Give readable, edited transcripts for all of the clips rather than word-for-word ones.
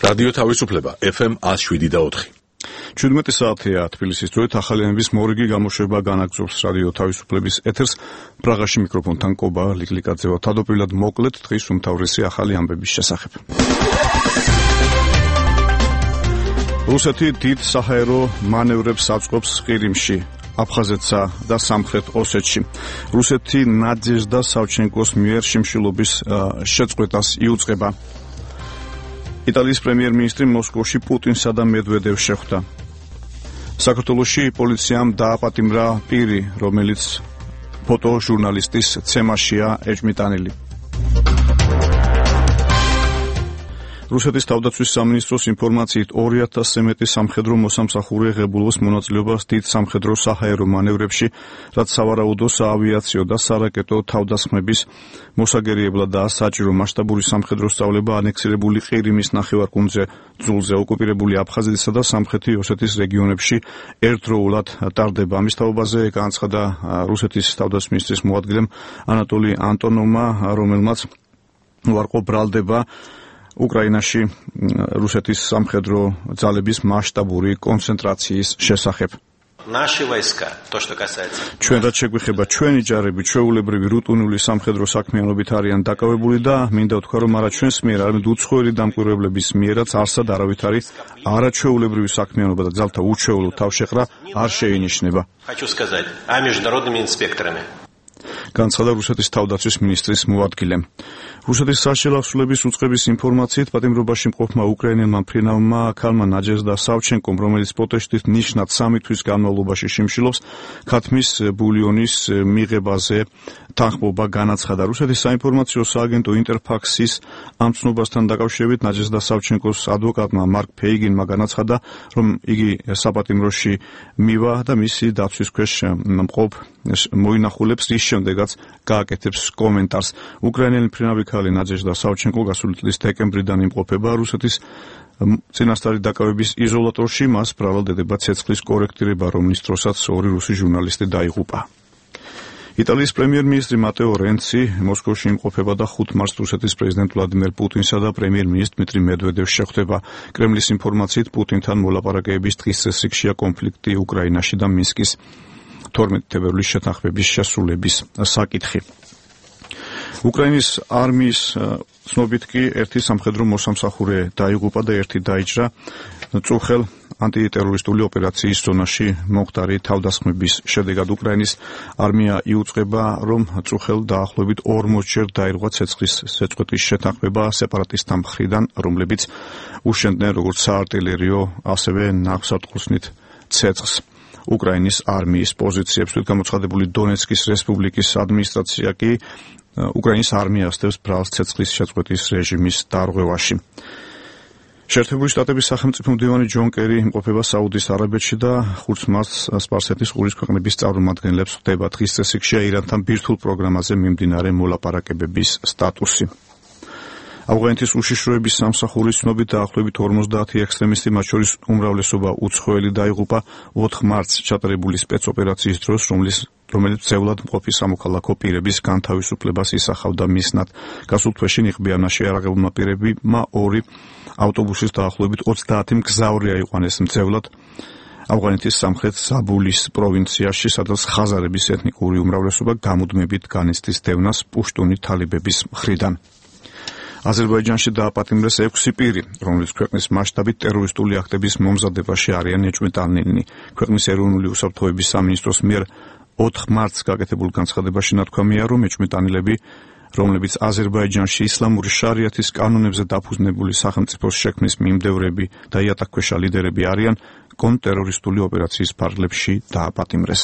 რადიო თავისუფლება FM 107.4. 17 საათია თბილისის დროით ახალიანების მორიგი გამოშვება განაგრძობს რადიო თავისუფლების ეთერს. პრაღაში მიკროფონთან კობა ლიკლიკაძე ვარ. თავდაპირველად მოკლედ დღის უმთავრესი ახალი ამბების შესახებ. რუსეთი დიდ საჰაერო მანევრებს აწყობს ყირიმში, აფხაზეთსა და სამხრეთ ოსეთში. რუსეთი ნადეჟდა სავჩენკოს მიერ შიმშილობის შეწყვეტას იუწყება. იტალიის პრემიერ-მინისტრი მოსკოვში პუტინსა და მედვედევს შეხვდა. საქართველოში პოლიციამ დააპატიმრა პირი, რომელიც ფოტოჟურნალისტის ცემაშია ეჭმიტანილი. რუსეთის თავდაცვის სამინისტროს ინფორმაციით 2000-ზე მეტი სამხედრო მოსამსახურე ღებულობს მონაწილეობას დიდ სამხედრო საჰაერო მანევრებში, რაც სავარაუდო საავიაციო და სარაკეტო თავდასხმების მოსაგერიებლად და საჭირო მასშტაბური სამხედრო სწავლება ანექსირებული ყირიმის ნახევარკუნძზე, ძულზე, ოკუპირებული აფხაზეთისა და სამხრეთი ოსეთის რეგიონებში ერთდროულად ტარდება. ამის თაობაზე განაცხადა რუსეთის თავდაცვის მინისტრის მოადგილემ ანატოლი ანტონოვმა, რომელმაც უარყო ბრალდება უკრაინაში რუსეთის სამხედრო ძალების მასშტაბური კონცენტრაციის შესახებ. ჩვენ რაც შეგვიხება, ჩვენი ჯარები ჩვეულებრივი რუტინული სამხედრო საქმიანობით არიან დაკავებული და მინდა ვთქვა, რომ არა ჩვენს მიერ, არამედ უცხოელი დამკვირვებლების მიერაც არსად არავით არის არაჩვეულებრივი საქმიანობა და ძალთა უჩვეულო თავშეყრა არ შეინიშნება. განაცხადა რუსეთის თავდაცვის მინისტრის მოადგილემ. რუსეთის საშელახსულების უწყების ინფორმაციით პატიმრობაში მყოფმა უკრაინელმა მფრინავმა ქალმა ნაჯეზდა სავჩენკომ, რომელიც პროტესტით ნიშნად 3 თვის განმავლობაში შიმშილობს, ქათმის ბულიონის მიღებაზე თანხმობა განაცხადა. რუსეთის საინფორმაციო სააგენტო ინტერფაქსის ამ ცნობასთან დაკავშირებით ნაჯეზდა სავჩენკოს ადვოკატმა მარკ ფეიგინმა განაცხადა, რომ იგი საპატიმროში მივა და მისი დაცვის ქვეშ მყოფ მოინახულებს, რის შემდეგაც გააკეთებს კომენტარს. უკრაინელი მფრინავი ქალი ნაჯეჟდა სავჩენკო გასული წლის დეკემბრიდან იმყოფება რუსეთის წინასწარი დაკავების იზოლატორში. მას ბრალდებოდა ცეცხლის კორექტირება, რომლის დროსაც 2 რუსი ჟურნალისტი დაიღუპა. იტალიის პრემიერ-მინისტრი მატეო რენცი მოსკოვში იმყოფება და 5 მარტს რუსეთის პრეზიდენტ ვლადიმერ პუტინსა და პრემიერ-მინისტრ დმიტრი მედვედევს შეხვდება. კრემლის ინფორმაციით პუტინთან მოლაპარაკებების დღის წესრიგშია კონფლიქტი უკრაინაში და მინსკის 12 თებერვლის შეთანხმების შესრულების საკითხი. უკრაინის არმიის ცნობით კი ერთი სამხედრო მოსამსახურე დაიღუპა და ერთი დაიჭრა წუხელ ანტიტერორისტული ოპერაციის ზონაში მომხდარი თავდასხმების შედეგად. უკრაინის არმია იუწყება, რომ წუხელ დაახლოებით 40-ჯერ დაირღვა ცეცხლის შეწყვეტის შეთანხმება სეპარატისტთა მხრიდან, რომლებიც უშენდნენ როგორც საარტილერიო, ასევე ნავსადგურსნით ცეცხლს. უკრაინის არმიის პოზიციებს გამოცხადებული დონეცკის რესპუბლიკის ადმინისტრაცია კი უკრაინის არმია ასდევს ბრალს ცეცხლის შეწყვეტის რეჟიმის დარღვევაში. შეერთებული შტატების სახელმწიფო მდივანი ჯონ კერი იმყოფება საუდის არაბეთში და 5 მარტს სპარსეთის ყურის ქვეყნების წარმომადგენლებს ხვდება. დღის წესრიგშია ირანთან ბირთვულ პროგრამაზე მიმდინარე მოლაპარაკებების სტატუსი. ავღანეთის უშიშროების სამსახურის ცნობით დაახლოებით 50 ექსტრემისტი, მათ შორის უმრავლესობა უცხოელი დაიღუპა 4 მარტს ჩატარებული სპეცოპერაციის დროს, რომელიც ძევლად მყოფი სამოქალაქო პირების განთავისუფლებას ისახავდა მიზნად. გასულ თვეში ნიღბიანაში არაღებულმა პირებმა 2 ავტობუსის დაახლოებით 30 მგზავრი აიყვანეს მძევლად ავღანეთის სამხრეთ საბულის პროვინციაში, სადაც ხაზარების ეთნიკური უმრავლესობა გამუდმებით განიცდის დევნას პუშტუნი თალიბების მხრიდან. აზერბაიჯანში დააპატიმრეს 6 პირი, რომლებიც ქვეყნის მასშტაბით ტერორისტული აქტების მომზადებაში არიან ეჭვმიტანილნი. ქვეყნის ეროვნული უსაფრთხოების სამინისტროს მიერ 4 მარტს გაკეთებულ განცხადებაში ნათქვამია, რომ ეჭვმიტანილები, რომლებიც აზერბაიჯანში ისლამური შარიათის კანონებზე დაფუძნებული სახელმწიფოს შექმნის მიმდევრები და იატაკქვეშა ლიდერები არიან, კონტრტერორისტული ოპერაციის ფარგლებში დააპატიმრეს.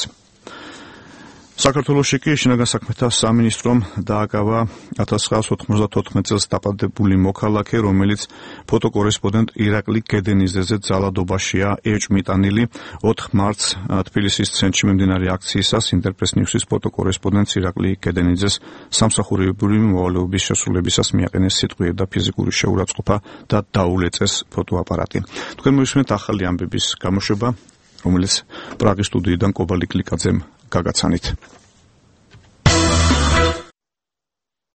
საქართველოში კი შინაგან საქმეთა სამინისტრომ დააკავა 1994 წელს დაპატებული მოქალაქე, რომელიც ფოტოკორესპონდენტ ირაკლი გედენიძეზე ძალადობაშია ეჭვმიტანილი. 4 მარტს თბილისის ცენტრში მიმდინარე აქციისას ინტერპრეს ნიუსის ფოტოკორესპონდენტს ირაკლი გედენიძეს სამსახურებრივი მოვალეობის შესრულებისას მიაყენეს სიტყვიერი და ფიზიკური შეურაცხყოფა და დაულეწეს ფოტოაპარატი. თქვენ მოვისმენთ ახალი ამბების გამოშვება, რომელიც პრაღის სტუდიიდან კობა ლიკლიკაძემ გაგაცანით.